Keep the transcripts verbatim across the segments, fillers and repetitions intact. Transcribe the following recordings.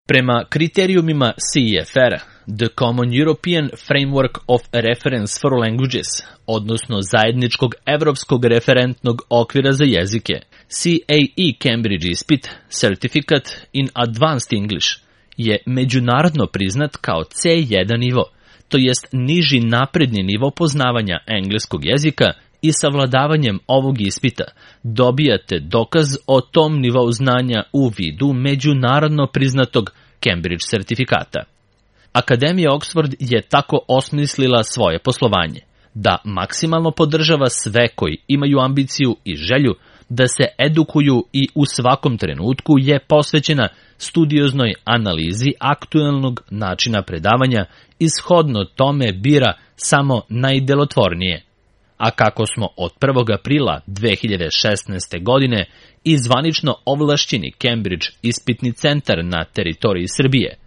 Prema kriterijumima C E F R, The Common European Framework of Reference for Languages, odnosno zajedničkog evropskog referentnog okvira za jezike, C A E Cambridge ispit, Certificate in Advanced English, je međunarodno priznat kao C jedan nivo, to jest niži napredni nivo poznavanja engleskog jezika i savladavanjem ovog ispita dobijate dokaz o tom nivou znanja u vidu međunarodno priznatog Cambridge sertifikata. Akademija Oxford je tako osmislila svoje poslovanje, da maksimalno podržava sve koji imaju ambiciju i želju da se edukuju i u svakom trenutku je posvećena studioznoj analizi aktuelnog načina predavanja i shodno tome bira samo najdelotvornije. A kako smo od prvog aprila dve hiljade šesnaeste. godine i zvanično ovlašćeni Cambridge ispitni centar na teritoriji Srbije,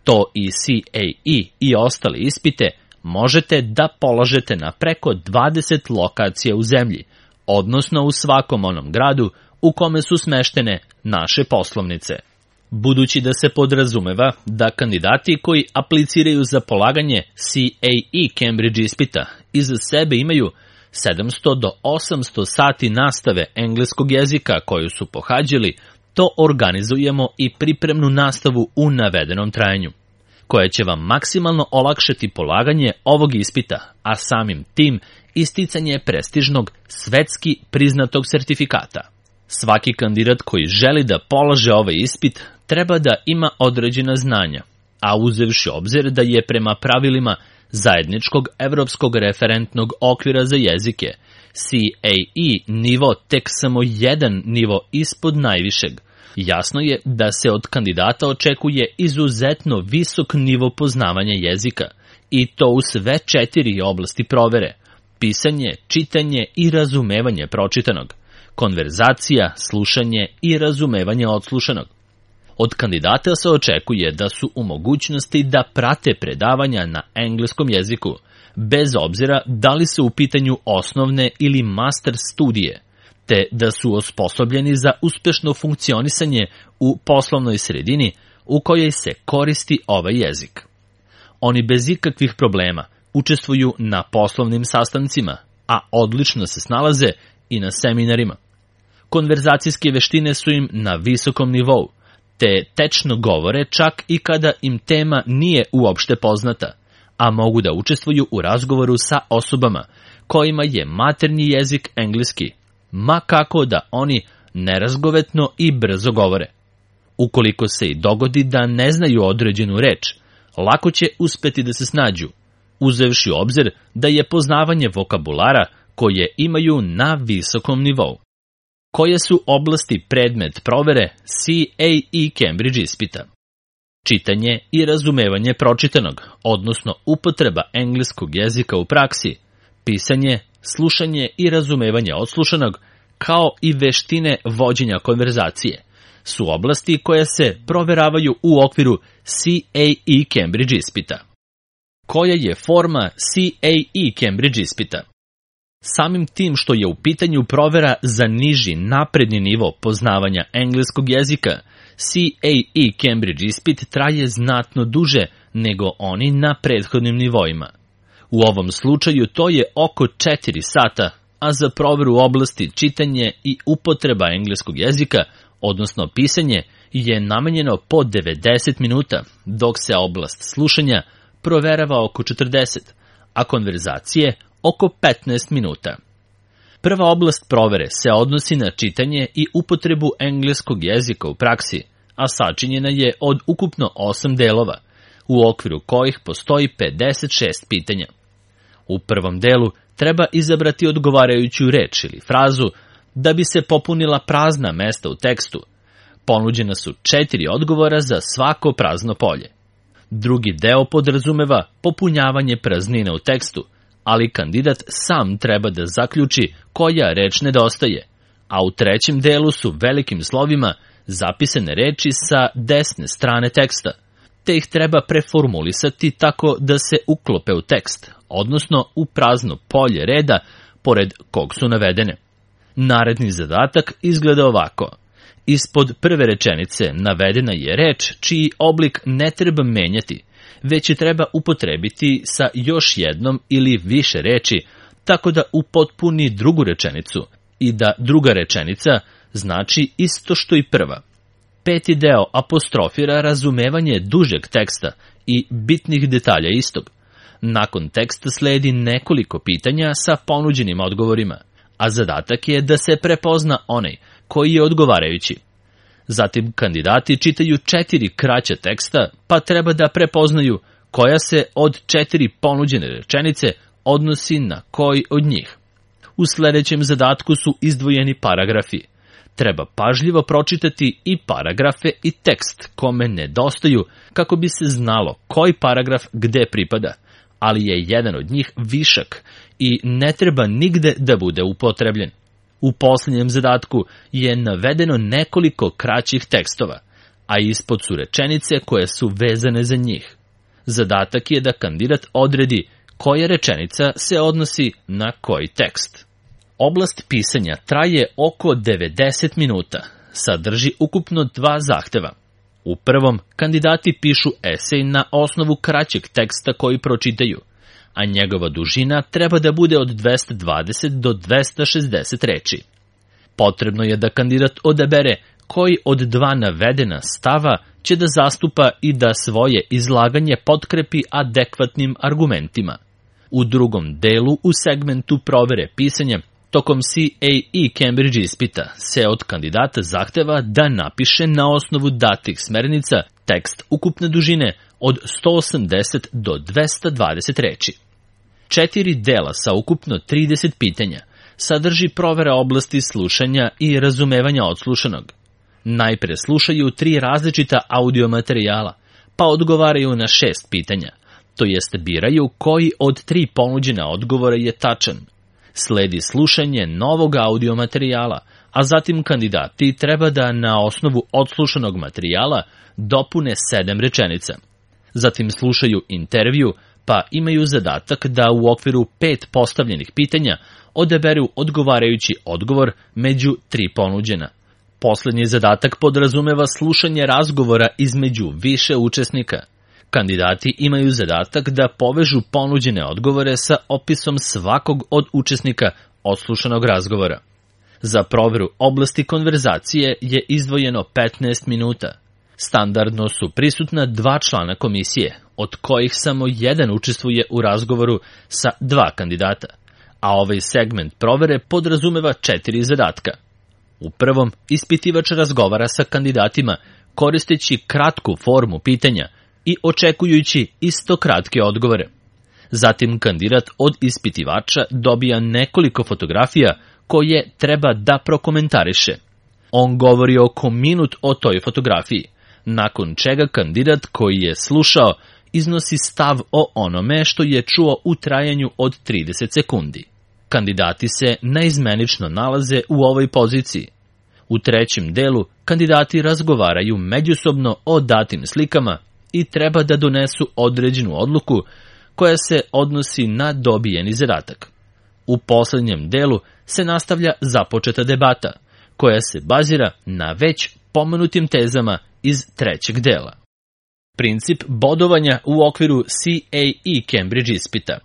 to i C A E i ostale ispite možete da polažete na preko dvadeset lokacija u zemlji, odnosno u svakom onom gradu u kome su smeštene naše poslovnice. Budući da se podrazumeva da kandidati koji apliciraju za polaganje C A E Cambridge ispita iza sebe imaju sedamsto do osamsto sati nastave engleskog jezika koju su pohađali, to organizujemo i pripremnu nastavu u navedenom trajanju, koja će vam maksimalno olakšati polaganje ovog ispita, a samim tim isticanje prestižnog svetski priznatog sertifikata. Svaki kandidat koji želi da polaže ovaj ispit treba da ima određena znanja, a uzevši obzir da je prema pravilima zajedničkog evropskog referentnog okvira za jezike C A E nivo tek samo jedan nivo ispod najvišeg, jasno je da se od kandidata očekuje izuzetno visok nivo poznavanja jezika, i to u sve četiri oblasti provere: pisanje, čitanje i razumevanje pročitanog, konverzacija, slušanje i razumevanje odslušanog. Od kandidata se očekuje da su u mogućnosti da prate predavanja na engleskom jeziku, bez obzira da li su u pitanju osnovne ili master studije, te da su osposobljeni za uspešno funkcionisanje u poslovnoj sredini u kojoj se koristi ovaj jezik. Oni bez ikakvih problema učestvuju na poslovnim sastancima, a odlično se snalaze i na seminarima. Konverzacijske veštine su im na visokom nivou, te tečno govore čak i kada im tema nije uopšte poznata, a mogu da učestvuju u razgovoru sa osobama kojima je maternji jezik engleski, ma kako da oni nerazgovetno i brzo govore. Ukoliko se i dogodi da ne znaju određenu reč, lako će uspeti da se snađu, uzevši u obzir da je poznavanje vokabulara koje imaju na visokom nivou. Koje su oblasti predmet provere C A E Cambridge ispita? Čitanje i razumevanje pročitanog, odnosno upotreba engleskog jezika u praksi, pisanje, slušanje i razumevanje odslušanog, kao i veštine vođenja konverzacije, su oblasti koje se proveravaju u okviru C A E Cambridge ispita. Koja je forma C A E Cambridge ispita? Samim tim što je u pitanju provera za niži napredni nivo poznavanja engleskog jezika, C A E Cambridge ispit traje znatno duže nego oni na prethodnim nivoima. U ovom slučaju to je oko četiri sata, a za proveru oblasti čitanje i upotreba engleskog jezika, odnosno pisanje, je namenjeno po devedeset minuta, dok se oblast slušanja proverava oko četrdeset, a konverzacije oko petnaest minuta. Prva oblast provere se odnosi na čitanje i upotrebu engleskog jezika u praksi, a sačinjena je od ukupno osam delova, u okviru kojih postoji pedeset šest pitanja. U prvom delu treba izabrati odgovarajuću reč ili frazu da bi se popunila prazna mesta u tekstu. Ponuđena su četiri odgovora za svako prazno polje. Drugi deo podrazumeva popunjavanje praznina u tekstu, ali kandidat sam treba da zaključi koja reč nedostaje, a u trećem delu su velikim slovima zapisane reči sa desne strane teksta, te ih treba preformulisati tako da se uklope u tekst, odnosno u prazno polje reda pored kog su navedene. Naredni zadatak izgleda ovako: Ispod prve rečenice navedena je reč čiji oblik ne treba menjati, već je treba upotrebiti sa još jednom ili više reči, tako da upotpuni drugu rečenicu i da druga rečenica znači isto što i prva. Peti deo apostrofira razumevanje dužeg teksta i bitnih detalja istog. Nakon teksta sledi nekoliko pitanja sa ponuđenim odgovorima, a zadatak je da se prepozna onaj koji je odgovarajući. Zatim kandidati čitaju četiri kraća teksta, pa treba da prepoznaju koja se od četiri ponuđene rečenice odnosi na koji od njih. U sledećem zadatku su izdvojeni paragrafi. Treba pažljivo pročitati i paragrafe i tekst kome nedostaju kako bi se znalo koji paragraf gde pripada, ali je jedan od njih višak i ne treba nigde da bude upotrebljen. U posljednjem zadatku je navedeno nekoliko kraćih tekstova, a ispod su rečenice koje su vezane za njih. Zadatak je da kandidat odredi koja rečenica se odnosi na koji tekst. Oblast pisanja traje oko devedeset minuta, sadrži ukupno dva zahteva. U prvom, kandidati pišu esej na osnovu kraćeg teksta koji pročitaju, a njegova dužina treba da bude od dvesta dvadeset do dvesta šezdeset reči. Potrebno je da kandidat odabere koji od dva navedena stava će da zastupa i da svoje izlaganje potkrepi adekvatnim argumentima. U drugom delu, u segmentu provere pisanja, tokom C A E Cambridge ispita se od kandidata zahteva da napiše na osnovu datih smernica tekst ukupne dužine od sto osamdeset do dvesta dvadeset reči. Četiri dela sa ukupno trideset pitanja sadrži provera oblasti slušanja i razumevanja odslušanog. Najpre slušaju tri različita audio materijala, pa odgovaraju na šest pitanja, to jest biraju koji od tri ponuđena odgovora je tačan. Sledi slušanje novog audio materijala, a zatim kandidati treba da na osnovu odslušanog materijala dopune sedam rečenica. Zatim slušaju intervju, pa imaju zadatak da u okviru pet postavljenih pitanja odaberu odgovarajući odgovor među tri ponuđena. Poslednji zadatak podrazumeva slušanje razgovora između više učesnika. Kandidati imaju zadatak da povežu ponuđene odgovore sa opisom svakog od učesnika odslušanog razgovora. Za proveru oblasti konverzacije je izdvojeno petnaest minuta. Standardno su prisutna dva člana komisije, od kojih samo jedan učestvuje u razgovoru sa dva kandidata, a ovaj segment provere podrazumeva četiri zadatka. U prvom, ispitivač razgovara sa kandidatima koristeći kratku formu pitanja i očekujući isto kratke odgovore. Zatim kandidat od ispitivača dobija nekoliko fotografija koje treba da prokomentariše. On govori oko minut o toj fotografiji, nakon čega kandidat koji je slušao iznosi stav o onome što je čuo u trajanju od trideset sekundi. Kandidati se naizmenično nalaze u ovoj poziciji. U trećem delu kandidati razgovaraju međusobno o datim slikama i treba da donesu određenu odluku koja se odnosi na dobijeni zadatak. U poslednjem delu se nastavlja započeta debata, koja se bazira na već pomenutim tezama iz trećeg dela. Princip bodovanja u okviru C A E Cambridge ispita.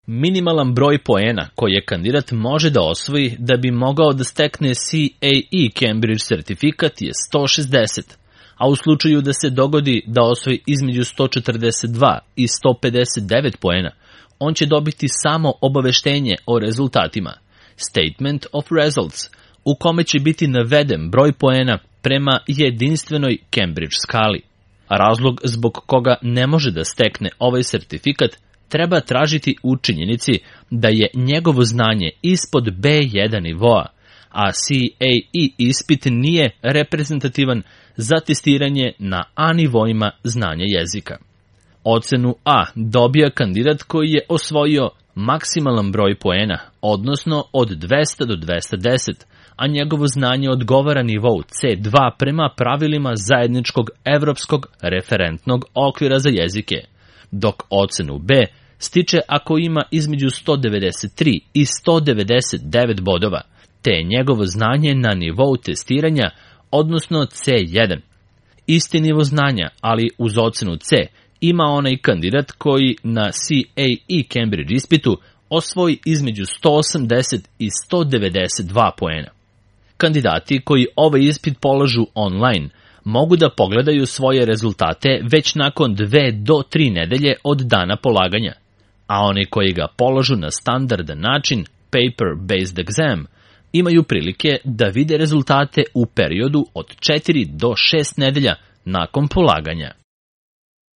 Minimalan broj poena koje kandidat može da osvoji da bi mogao da stekne C A E Cambridge sertifikat je sto šezdeset, a u slučaju da se dogodi da osvoji između sto četrdeset dva i sto pedeset devet poena, on će dobiti samo obaveštenje o rezultatima, Statement of Results, u kome će biti naveden broj poena prema jedinstvenoj Cambridge skali. Razlog zbog koga ne može da stekne ovaj sertifikat treba tražiti u činjenici da je njegovo znanje ispod B jedan nivoa, a C A E ispit nije reprezentativan za testiranje na A nivoima znanja jezika. Ocenu A dobija kandidat koji je osvojio maksimalan broj poena, odnosno od dvesta do dvesta deset, a njegovo znanje odgovara nivou C dva prema pravilima zajedničkog evropskog referentnog okvira za jezike, dok ocenu B stiče ako ima između sto devedeset tri i sto devedeset devet bodova, te je njegovo znanje na nivou testiranja odnosno C jedan. Isti nivo znanja, ali uz ocenu C, ima onaj kandidat koji na C A E Cambridge ispitu osvoji između sto osamdeset i sto devedeset dva poena. Kandidati koji ovaj ispit polažu online mogu da pogledaju svoje rezultate već nakon dve do tri nedelje od dana polaganja, a oni koji ga polažu na standardan način, paper-based exam, imaju prilike da vide rezultate u periodu od četiri do šest nedelja nakon polaganja.